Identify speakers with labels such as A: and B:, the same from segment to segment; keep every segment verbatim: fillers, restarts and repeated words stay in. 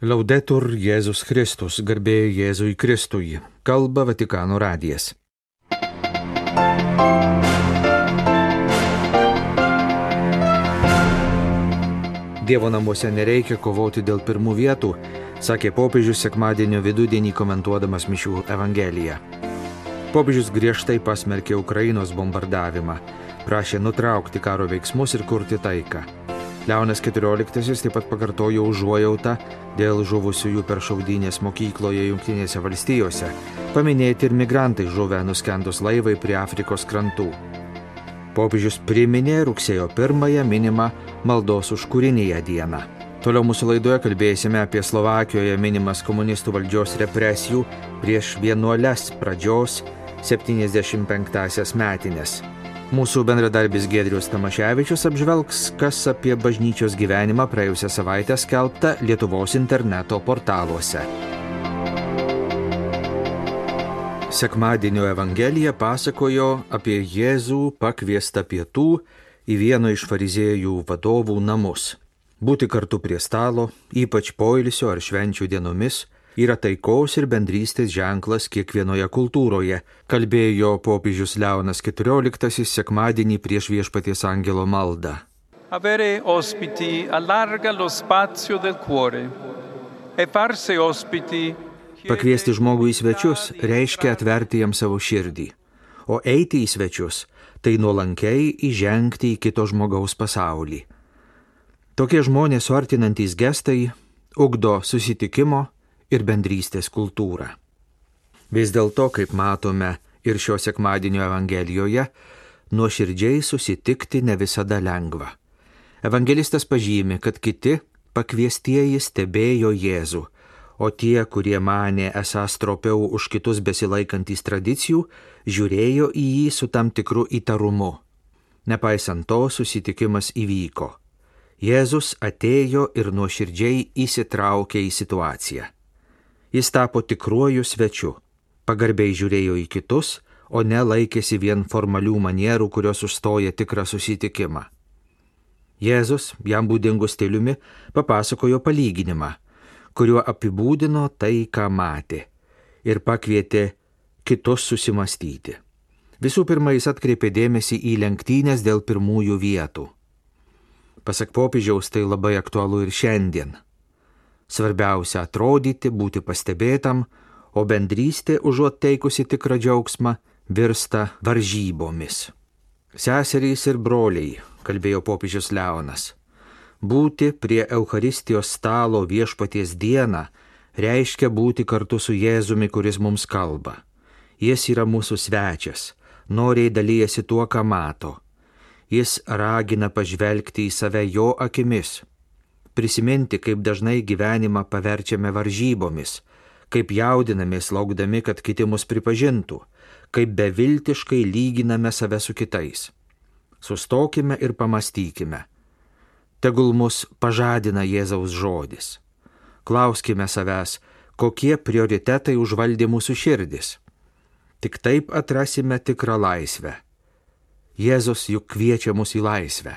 A: Laudetur Jėzus Kristus, garbė Jėzui Kristui, kalba Vatikano radijas. Dievo namuose nereikia kovoti dėl pirmų vietų, sakė popiežius sekmadienio vidudienį komentuodamas mišių evangeliją. Popiežius griežtai pasmerkė Ukrainos bombardavimą, prašė nutraukti karo veiksmus ir kurti taiką. Leonas keturioliktasis taip pat pakartojo užuojautą dėl žuvusiųjų per šaudynės mokykloje Jungtinėse valstijose, paminėti ir migrantai žuvę nuskendus laivai prie Afrikos krantų. Popiežius priminė rugsėjo pirmąją minimą maldos už kūriniją dieną. Toliau mūsų laidoje kalbėsime apie Slovakijoje minimas komunistų valdžios represijų prieš vienuoles pradžios septyniasdešimt penktąsias metines. Mūsų bendradarbis Giedrius Tamaševičius apžvelgs, kas apie bažnyčios gyvenimą praėjusią savaitę skelbta Lietuvos interneto portaluose. Sekmadienio evangelija pasakojo apie Jėzų pakviestą pietų į vieno iš fariziejų vadovų namus. Būti kartu prie stalo, ypač poilsio ar švenčių dienomis, yra taikos ir bendrystės ženklas kiekvienoje kultūroje, kalbėjo popiežius Leonas keturioliktasis sekmadienį prieš Viešpaties angelo maldą.
B: Avere ospiti allarga lo spazio del cuore e farsi ospiti.
A: Pakviesti žmogų į svečius reiškia atverti jam savo širdį, o eiti į svečius tai nuolankiai įžengti į kito žmogaus pasaulį. Tokie žmonės suartinantys gestai ugdo susitikimo ir bendrystės kultūrą. Vis dėlto, kaip matome ir šio sekmadienio evangelijoje, nuoširdžiai susitikti ne visada lengva. Evangelistas pažymi, kad kiti pakviestieji stebėjo Jėzų, o tie, kurie manė esąs stropiau už kitus besilaikantys tradicijų, žiūrėjo į jį su tam tikru įtarumu. Nepaisant to, susitikimas įvyko. Jėzus atėjo ir nuoširdžiai įsitraukė į situaciją. Jis tapo tikruoju svečiu, pagarbiai žiūrėjo į kitus, o ne laikėsi vien formalių manierų, kurios užstoja tikrą susitikimą. Jėzus, jam būdingu stiliumi, papasakojo palyginimą, kuriuo apibūdino tai, ką matė, ir pakvietė kitus susimastyti. Visų pirma, jis atkreipė dėmesį į lenktynės dėl pirmųjų vietų. Pasak popiežiaus, tai labai aktualu ir šiandien. Svarbiausia atrodyti, būti pastebėtam, o bendrystė, užuot teikusi tikrą džiaugsmą, virsta varžybomis. Seserys ir broliai, kalbėjo popiežius Leonas, būti prie Eucharistijos stalo Viešpaties dieną reiškia būti kartu su Jėzumi, kuris mums kalba. Jis yra mūsų svečias, noriai dalyjasi tuo, ką mato. Jis ragina pažvelgti į save jo akimis. Prisiminti, kaip dažnai gyvenimą paverčiame varžybomis, kaip jaudinamės laukdami, kad kiti mus pripažintų, kaip beviltiškai lyginame save su kitais. Sustokime ir pamastykime. Tegul mus pažadina Jėzaus žodis. Klauskime savęs, kokie prioritetai užvaldė mūsų širdis. Tik taip atrasime tikrą laisvę. Jėzus juk kviečia mus į laisvę.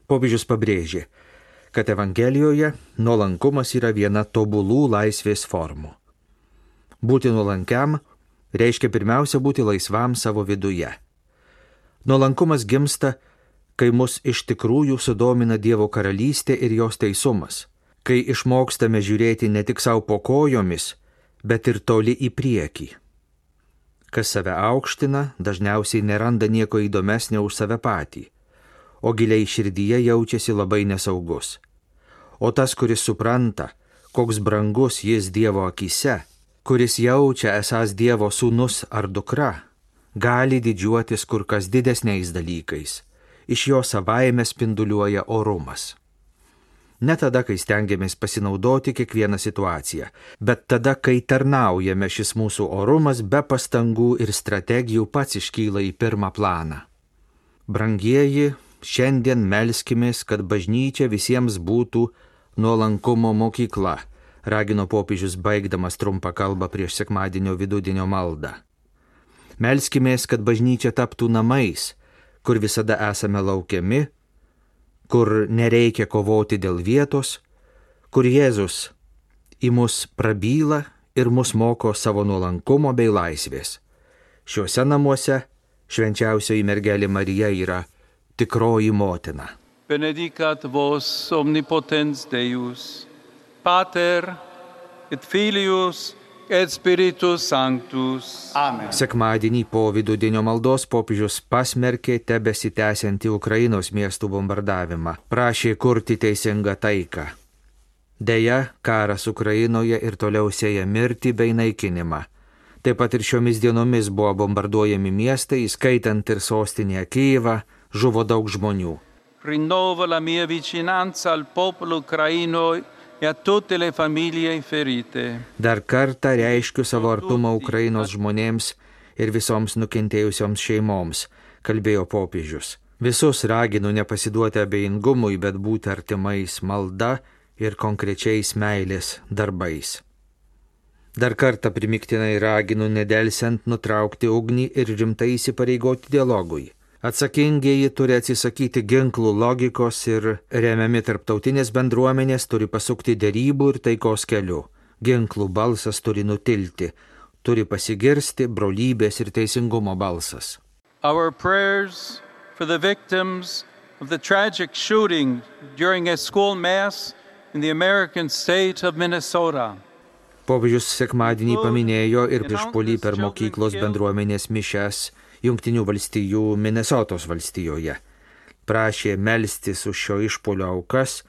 A: Popiežius pabrėžė, kad Evangelijoje nuolankumas yra viena tobulų laisvės formų. Būti nuolankiam reiškia pirmiausia būti laisvam savo viduje. Nuolankumas gimsta, kai mus iš tikrųjų sudomina Dievo karalystė ir jos teisumas, kai išmokstame žiūrėti ne tik savo po kojomis, bet ir toli į priekį. Kas save aukština, dažniausiai neranda nieko įdomesnio už save patį, o giliai širdyje jaučiasi labai nesaugus. O tas, kuris supranta, koks brangus jis Dievo akyse, kuris jaučia esąs Dievo sūnus ar dukra, gali didžiuotis kur kas didesniais dalykais. Iš jo savaime spinduliuoja orumas. Ne tada, kai stengiamės pasinaudoti kiekvieną situaciją, bet tada, kai tarnaujame, šis mūsų orumas be pastangų ir strategijų pats iškyla į pirmą planą. Brangieji, šiandien melskimės, kad bažnyčia visiems būtų nuolankumo mokykla, ragino popiežius baigdamas trumpą kalbą prieš sekmadienio vidudienio maldą. Melskimės, kad bažnyčia taptų namais, kur visada esame laukiami, kur nereikia kovoti dėl vietos, kur Jėzus į mus prabyla ir mus moko savo nuolankumo bei laisvės. Šiuose namuose švenčiausioji mergelė Marija yra tikroji motina.
B: Benedicat vos omnipotens Deus, Pater et Filius et Spiritus Sanctus.
C: Amen.
A: Sekmadienį po vidudienio maldos popiežius pasmerkė tebesitęsiantį Ukrainos miestų bombardavimą, prašė kurti teisingą taiką. Deja, karas Ukrainoje ir toliau sėja mirtį bei naikinimą. Taip pat ir šiomis dienomis buvo bombarduojami miestai, įskaitant ir sostinę Kijevą, žuvo daug žmonių.
B: Rinnovo la mia vicinanza al popolo ucraino e a tutte le famiglie ferite.
A: Dar kartą reiškiu savo artumą Ukrainos žmonėms ir visoms nukentėjusioms šeimoms, kalbėjo popiežius. Visus raginu nepasiduoti abejingumui, bet būti artimais malda ir konkrečiais meilės darbais. Dar kartą primiktinai raginu nedelsiant nutraukti ugnį ir rimtai įsipareigoti dialogui. Atsakingieji turi atsisakyti ginklų logikos ir remiami tarptautinės bendruomenės turi pasukti derybų ir taikos keliu. Ginklų balsas turi nutilti, turi pasigirsti brolybės ir teisingumo balsas.
B: Our prayers for the victims of the tragic shooting during a school mass in the American state of Minnesota.
A: Popiežius sekmadienį paminėjo ir išpuolį per mokyklos bendruomenės mišias Jungtinių valstijų Minnesotos valstijoje. Prašė melstis už šio išpuolio aukas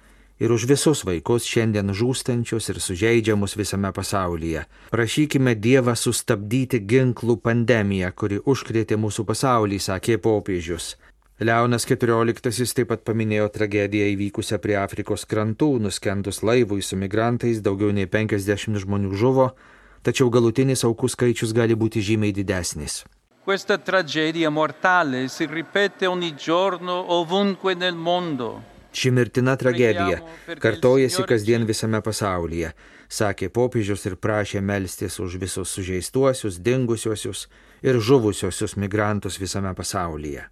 A: ir už visus vaikus šiandien žūstančius ir sužeidžiamus visame pasaulyje. Prašykime Dievą sustabdyti ginklų pandemiją, kuri užkrėtė mūsų pasaulį, sakė popiežius. Leonas keturioliktasis taip pat paminėjo tragediją įvykusią prie Afrikos krantų, nuskendus laivui su migrantais, daugiau nei penkiasdešimt žmonių žuvo, tačiau galutinis aukų skaičius gali būti žymiai didesnis.
B: Questa tragedia mortale si ripete ogni giorno ovunque nel mondo.
A: Ši mirtina tragedija kartojasi kasdien visame pasaulyje, sakė popiežius ir prašė melstis už visus sužeistuosius, dingusiuosius ir žuvusiuosius migrantus visame pasaulyje.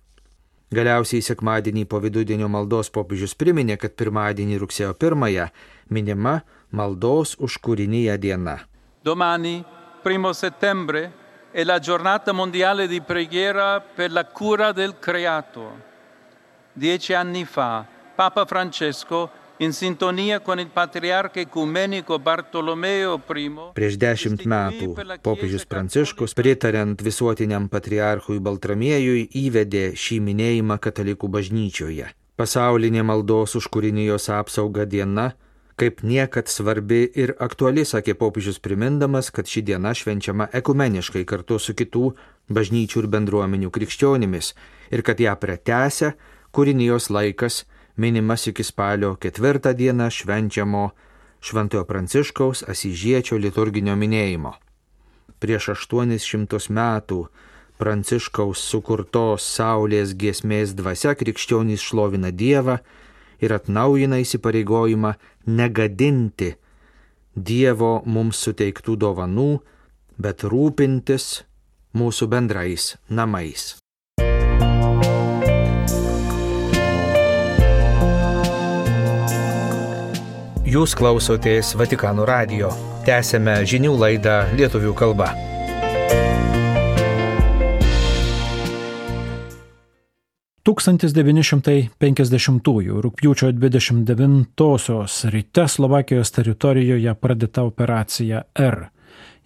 A: Galiausiai sekmadienį po vidudienio maldos popiežius priminė, kad pirmadienį rugsėjo pirmąją minima maldos už kūriniją diena.
B: Domani, primo settembre, è la giornata mondiale di preghiera per la cura del creato. Dieci anni fa, Papa Francesco, in sintonia con il patriarca ecumenico Bartolomeo I,
A: Prieš dešimt metų popiežius Pranciškus, pritariant visuotiniam patriarchui Baltramiejui, įvedė šį minėjimą katalikų bažnyčioje. Pasaulinė maldos už kūrinijos apsaugą diena kaip niekad svarbi ir aktuali, sakė popiežius primindamas, kad ši diena švenčiama ekumeniškai kartu su kitų bažnyčių ir bendruomenių krikščionimis ir kad ją pratęsia kūrinijos laikas minimas iki spalio ketvirtą dieną švenčiamo Šventojo Pranciškaus Asyžiečio liturginio minėjimo. Prieš aštuonis šimtus metų Pranciškaus sukurtos saulės giesmės dvasia krikščionys šlovina Dievą ir atnaujina įsipareigojimą negadinti Dievo mums suteiktų dovanų, bet rūpintis mūsų bendrais namais. Jūs klausotės Vatikano radijo. Tęsėme žinių laidą lietuvių kalba.
D: tūkstantis devyni šimtai penkiasdešimtųjų rugpjūčio dvidešimt devintosios ryte Slovakijos teritorijoje pradėta operacija R.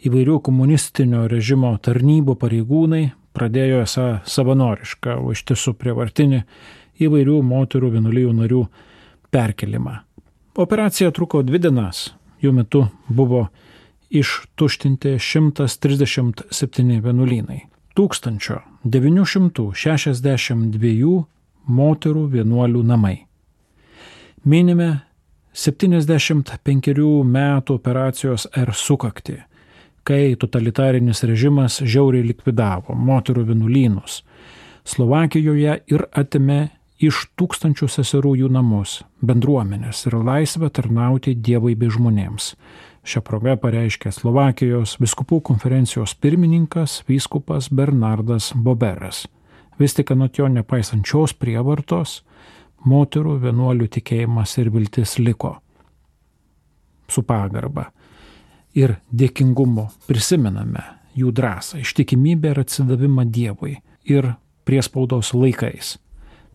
D: Įvairių komunistinio režimo tarnybų pareigūnai pradėjo esą savanorišką, o iš tiesų prievartinį įvairių moterų vienuolijų narių perkelimą. Operacija truko dvi dienas. Jų metu buvo ištuštinti šimtas trisdešimt septyni vienuolynai. tūkstančio devynių šimtų šešiasdešimt dviejų moterų vienuolių namai. Minime septyniasdešimt penkerių metų operacijos R sukaktį, kai totalitarinis režimas žiauriai likvidavo moterų vienuolynus Slovakijoje ir atėmė iš tūkstančių seserų jų namus, bendruomenės ir laisvę tarnauti Dievui bei žmonėms. Šią progą pareiškė Slovakijos vyskupų konferencijos pirmininkas vyskupas Bernardas Boberas. Vis tik anot jo nepaisant šios prievartos, moterų vienuolių tikėjimas ir viltis liko. su pagarba ir dėkingumu prisimename jų drąsą, ištikimybę ir atsidavimą Dievui ir priespaudos laikais.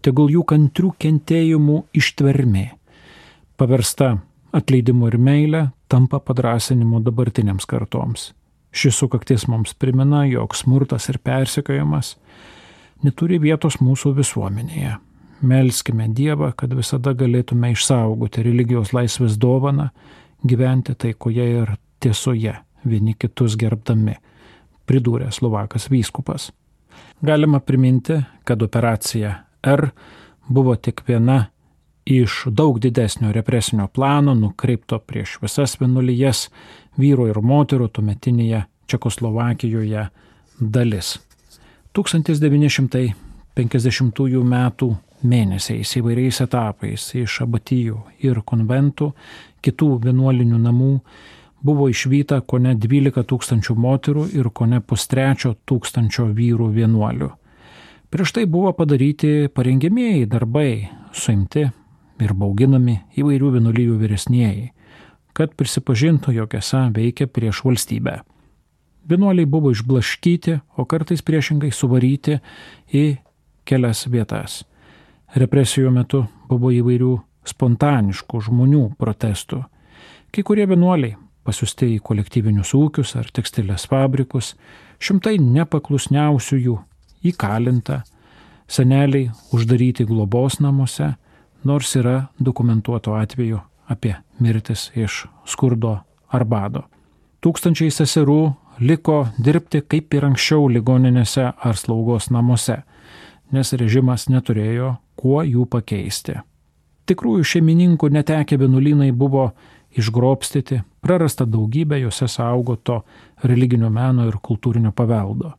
D: Tegul jų kantrių kentėjimų ištvermė, paversta atleidimu ir meilė, tampa padrąsinimu dabartiniams kartoms. Šis sukaktis mums primena, jog smurtas ir persekiojimas neturi vietos mūsų visuomenėje. Melskime Dievą, kad visada galėtume išsaugoti religijos laisvės dovaną, gyventi taikoje ir tiesoje, vieni kitus gerbdami, pridūrė Slovakas vyskupas. Galima priminti, kad operacija R buvo tik viena iš daug didesnio represinio plano nukreipto prieš visas vienuolijas, vyrų ir moterų tuometinėje Čekoslovakijoje dalis. tūkstantis devyni šimtai penkiasdešimtųjų metų mėnesiais įvairiais etapais iš abatijų ir konventų, kitų vienuolinių namų buvo išvyta kone dvylika tūkstančių moterų ir kone pustrečio tūkstančio vyrų vienuolių. Prieš tai buvo padaryti parengiamieji darbai, suimti ir bauginami įvairių vienuolijų vyresnieji, kad prisipažintų, jog esą veikia prieš valstybę. Vienuoliai buvo išblaškyti, o kartais priešingai suvaryti į kelias vietas. Represijų metu buvo įvairių spontaniškų žmonių protestų. Kai kurie vienuoliai pasiųsti į kolektyvinius ūkius ar tekstilės fabrikus, šimtai nepaklusniausiųjų įkalinta, seneliai uždaryti globos namuose, nors yra dokumentuotų atvejų apie mirtis iš skurdo ar bado. Tūkstančiai seserų liko dirbti kaip ir anksčiau ligoninėse ar slaugos namuose, nes režimas neturėjo kuo jų pakeisti. Tikrųjų šeimininkų netekę vienuolynai buvo išgrobstyti, prarasta daugybė juose saugoto religinio meno ir kultūrinio paveldo.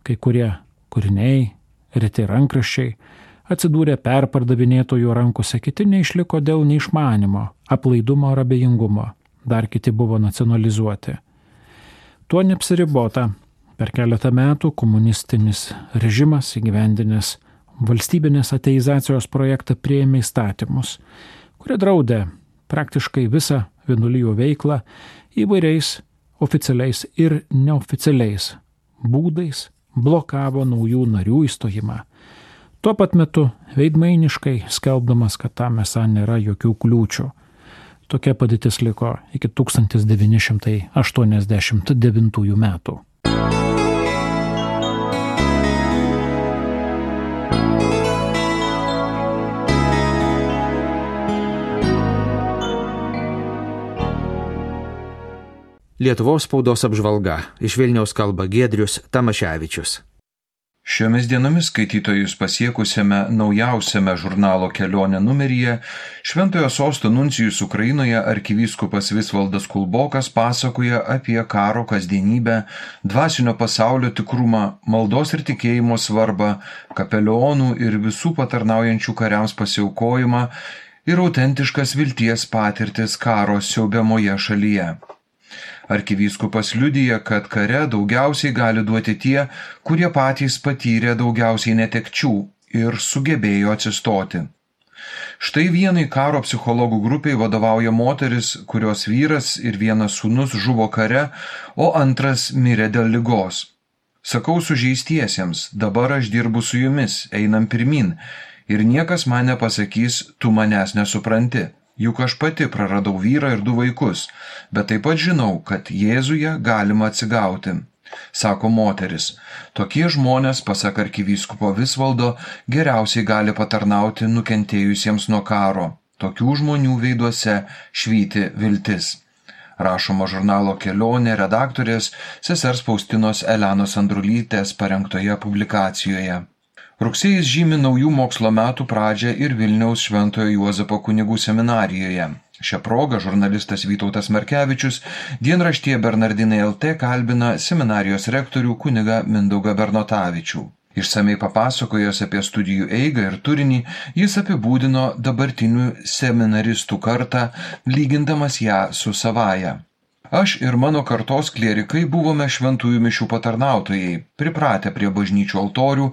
D: Kai kurie kūriniai, reti rankraščiai atsidūrė perpardavinėtojų rankose, kiti neišliko dėl neišmanimo, aplaidumo ar abejingumo, dar kiti buvo nacionalizuoti. Tuo neapsiribota. Per keletą metų komunistinis režimas įgyvendinęs valstybinės ateizacijos projektą priėmė įstatymus, kurie draudė praktiškai visą vienuolijų veiklą įvairiais oficialiais ir neoficialiais būdais, blokavo naujų narių įstojimą. Tuo pat metu veidmainiškai skelbdamas, kad tam esą nėra jokių kliūčių. Tokia padėtis liko iki tūkstantis devyni šimtai aštuoniasdešimt devintųjų metų.
A: Lietuvos spaudos apžvalga. Iš Vilniaus kalba Giedrius Tamaševičius.
C: Šiomis dienomis skaitytojus pasiekusiame naujausiame žurnalo Kelionė numeryje Šventojo Sosto nuncijus Ukrainoje arkivyskupas Visvaldas Kulbokas pasakoja apie karo kasdienybę, dvasinio pasaulio tikrumą, maldos ir tikėjimo svarbą, kapelionų ir visų patarnaujančių kariams pasiaukojimą ir autentiškas vilties patirtis karo siaubiamoje šalyje. Arkivyskupas liudija, kad kare daugiausiai gali duoti tie, kurie patys patyrė daugiausiai netekčių ir sugebėjo atsistoti. Štai vienai karo psichologų grupiai vadovauja moteris, kurios vyras ir vienas sūnus žuvo kare, o antras mirė dėl ligos. Sakau sužeistiesiems, dabar aš dirbu su jumis, einam pirmin, ir niekas man nepasakys, tu manęs nesupranti. Juk aš pati praradau vyrą ir du vaikus, bet taip pat žinau, kad Jėzuje galima atsigauti, sako moteris. Tokie žmonės, pasak arkivyskupo Visvaldo, geriausiai gali patarnauti nukentėjusiems nuo karo. Tokių žmonių veiduose švyti viltis. Rašoma žurnalo Kelionė redaktorės sesers Faustinos Elenos Andrulytės parengtoje publikacijoje. Rugsėjis žymi naujų mokslo metų pradžią ir Vilniaus Šventojo Juozapo kunigų seminarijoje. Šią progą žurnalistas Vytautas Markevičius dienraštyje Bernardinai L T kalbina seminarijos rektorių kunigą Mindaugą Bernotavičių. Išsamei papasakojęs apie studijų eigą ir turinį, jis apibūdino dabartinių seminaristų kartą, lygindamas ją su savaja. Aš ir mano kartos klierikai buvome šventųjų mišių patarnautojai, pripratę prie bažnyčių altorių,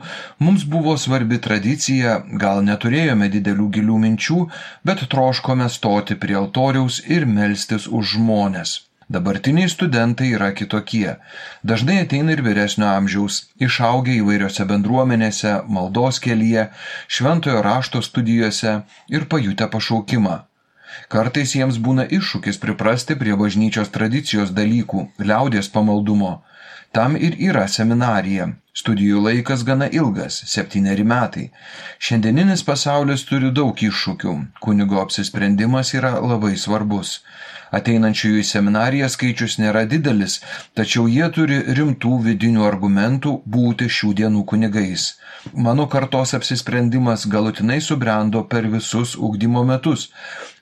C: mums buvo svarbi tradicija, gal neturėjome didelių gilių minčių, bet troškome stoti prie altoriaus ir melstis už žmones. Dabartiniai studentai yra kitokie. Dažnai ateina ir vyresnio amžiaus, išaugę įvairiose bendruomenėse, maldos kelyje, šventojo rašto studijose ir pajutę pašaukimą. Kartais jiems būna iššūkis priprasti prie bažnyčios tradicijos dalykų, liaudies pamaldumo. Tam ir yra seminarija. Studijų laikas gana ilgas – septyneri metai. Šiandieninis pasaulis turi daug iššūkių. Kunigo apsisprendimas yra labai svarbus. Ateinančiųjų į seminariją skaičius nėra didelis, tačiau jie turi rimtų vidinių argumentų būti šių dienų kunigais. Mano kartos apsisprendimas galutinai subrendo per visus ugdymo metus,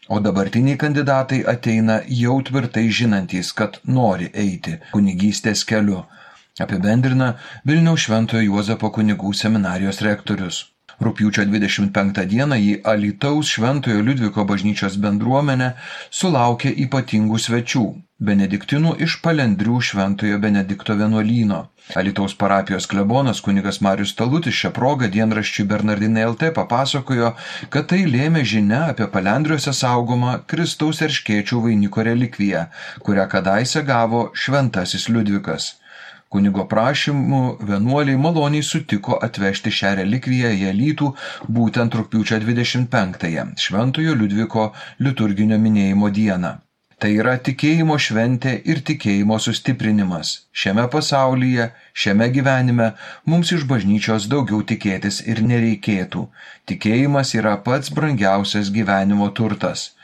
C: o dabartiniai kandidatai ateina jau tvirtai žinantys, kad nori eiti kunigystės keliu, apibendrina Vilniaus Šventojo Juozapo kunigų seminarijos rektorius. Rugpjūčio dvidešimt penktą dieną į Alytaus Šventojo Liudviko bažnyčios bendruomenę sulaukė ypatingų svečių – benediktinų iš Palendrių Šventojo Benedikto vienuolyno. Alytaus parapijos klebonas kunigas Marius Talutis šią progą dienraščiui Bernardinai L T papasakojo, kad tai lėmė žinia apie Palendriuose saugomą Kristaus erškėčių vainiko relikviją, kurią kadaise gavo šventasis Liudvikas. Kunigo prašymu vienuoliai maloniai sutiko atvežti šią relikviją į Alytų būtent rugpjūčio dvidešimt penktąją, Šventojo Liudviko liturginio minėjimo dieną. Tai yra tikėjimo šventė ir tikėjimo sustiprinimas. Šiame pasaulyje, šiame gyvenime mums iš bažnyčios daugiau tikėtis ir nereikėtų. Tikėjimas yra pats brangiausias gyvenimo turtas.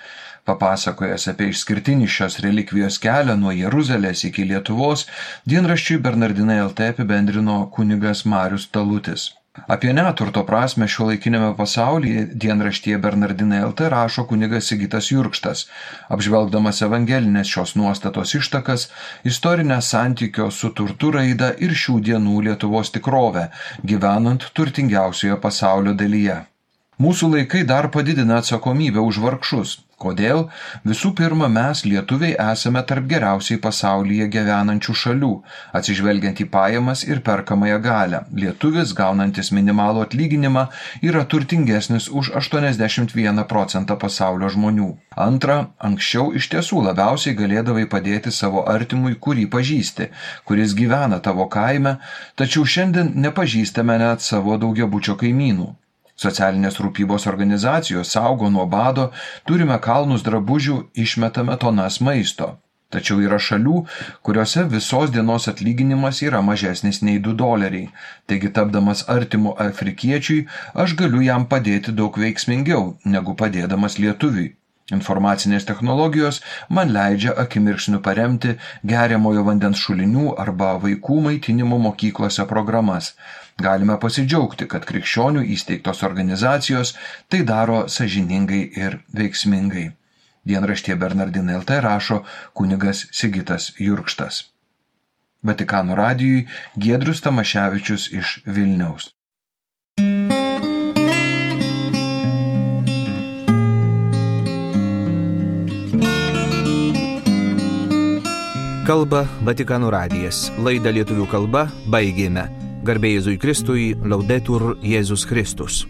C: Papasakojęs apie išskirtinį šios relikvijos kelią nuo Jeruzalės iki Lietuvos, dienraščiui Bernardinai L T apibendrino kunigas Marius Talutis. Apie neturto prasme šiuolaikinėme pasaulyje dienraštyje Bernardinai L T rašo kunigas Sigitas Jurkštas, apžvelgdamas evangelinės šios nuostatos ištakas, istorinę santykio su turtu raidą ir šių dienų Lietuvos tikrovę, gyvenant turtingiausioje pasaulio dalyje. Mūsų laikai dar padidina atsakomybę už vargšus. Kodėl? Visų pirma, mes, lietuviai, esame tarp geriausiai pasaulyje gyvenančių šalių, atsižvelgiant į pajamas ir perkamąją galią. Lietuvis, gaunantis minimalų atlyginimą, yra turtingesnis už aštuoniasdešimt vieną procentą pasaulio žmonių. Antra, anksčiau iš tiesų labiausiai galėdavai padėti savo artimui, kurį pažįsti, kuris gyvena tavo kaime, tačiau šiandien nepažįstame net savo daugiabučio kaimynų. Socialinės rūpybos organizacijos saugo nuo bado, turime kalnus drabužių, išmetame tonas maisto. Tačiau yra šalių, kuriuose visos dienos atlyginimas yra mažesnis nei du doleriai. Taigi, tapdamas artimu afrikiečiui, aš galiu jam padėti daug veiksmingiau, negu padėdamas lietuviui. Informacinės technologijos man leidžia akimirksniu paremti geriamojo vandens šulinių arba vaikų maitinimo mokyklose programas. Galime pasidžiaugti, kad krikščionių įsteigtos organizacijos tai daro sąžiningai ir veiksmingai. Dienraštyje Bernardinai L T rašo kunigas Sigitas Jurkštas. Vatikano radijui Giedrius Tamaševičius iš Vilniaus.
A: Kalba Vatikano radijas. Laidą lietuvių kalba baigėme. Garbė Jėzui Kristui, Laudetur Jėzus Kristus.